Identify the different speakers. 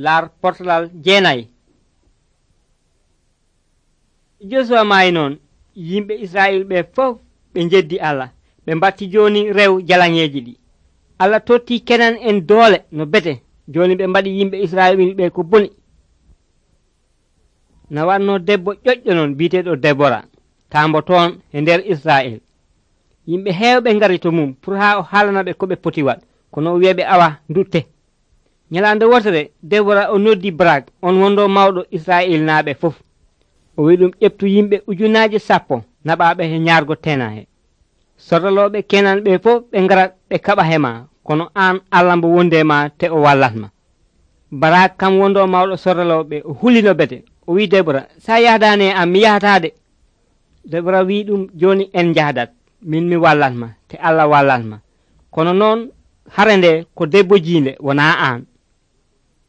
Speaker 1: laar portalal 9. Josuwa maayi noon yimɓe Israyil ɓe fof ɓe jeddi Allah ɓe mbatti joni rew jalaŋeeji ɗi. Allah totti Kenan en doole no bete joni ɓe mbaɗi yimɓe Israyil ɓe ko boni. Na wanno debbo ƴoƴƴo non biiteɗo Debora tambo toon e nder Israyil. Yimɓe heewɓe ngari to mum pour ha o haalana ɓe ko ɓe poti waɗ kono o wi'a ɓe awa dutte. Nyalande wotere Debora o noddi Barak on wondo mawɗo Israyil naaɓe fof. O wi ɗum ƴeftu yimɓe 10,000 naɓaɓe he ñaargo tenahe. Sorroloɓe Kenan ɓe fof ɓe ngara ɓe kaɓa hema kono an Allah mbo wondema te o wallatma. Barak kam wondo mawɗo sorroloɓe o hulino bete o wi Debora sa yahdani am mi yahatade. Debora wi ɗum joni en jahdat min mi wallatma te Allah wallatma kono noon hare nde ko debbo jiinde wona an.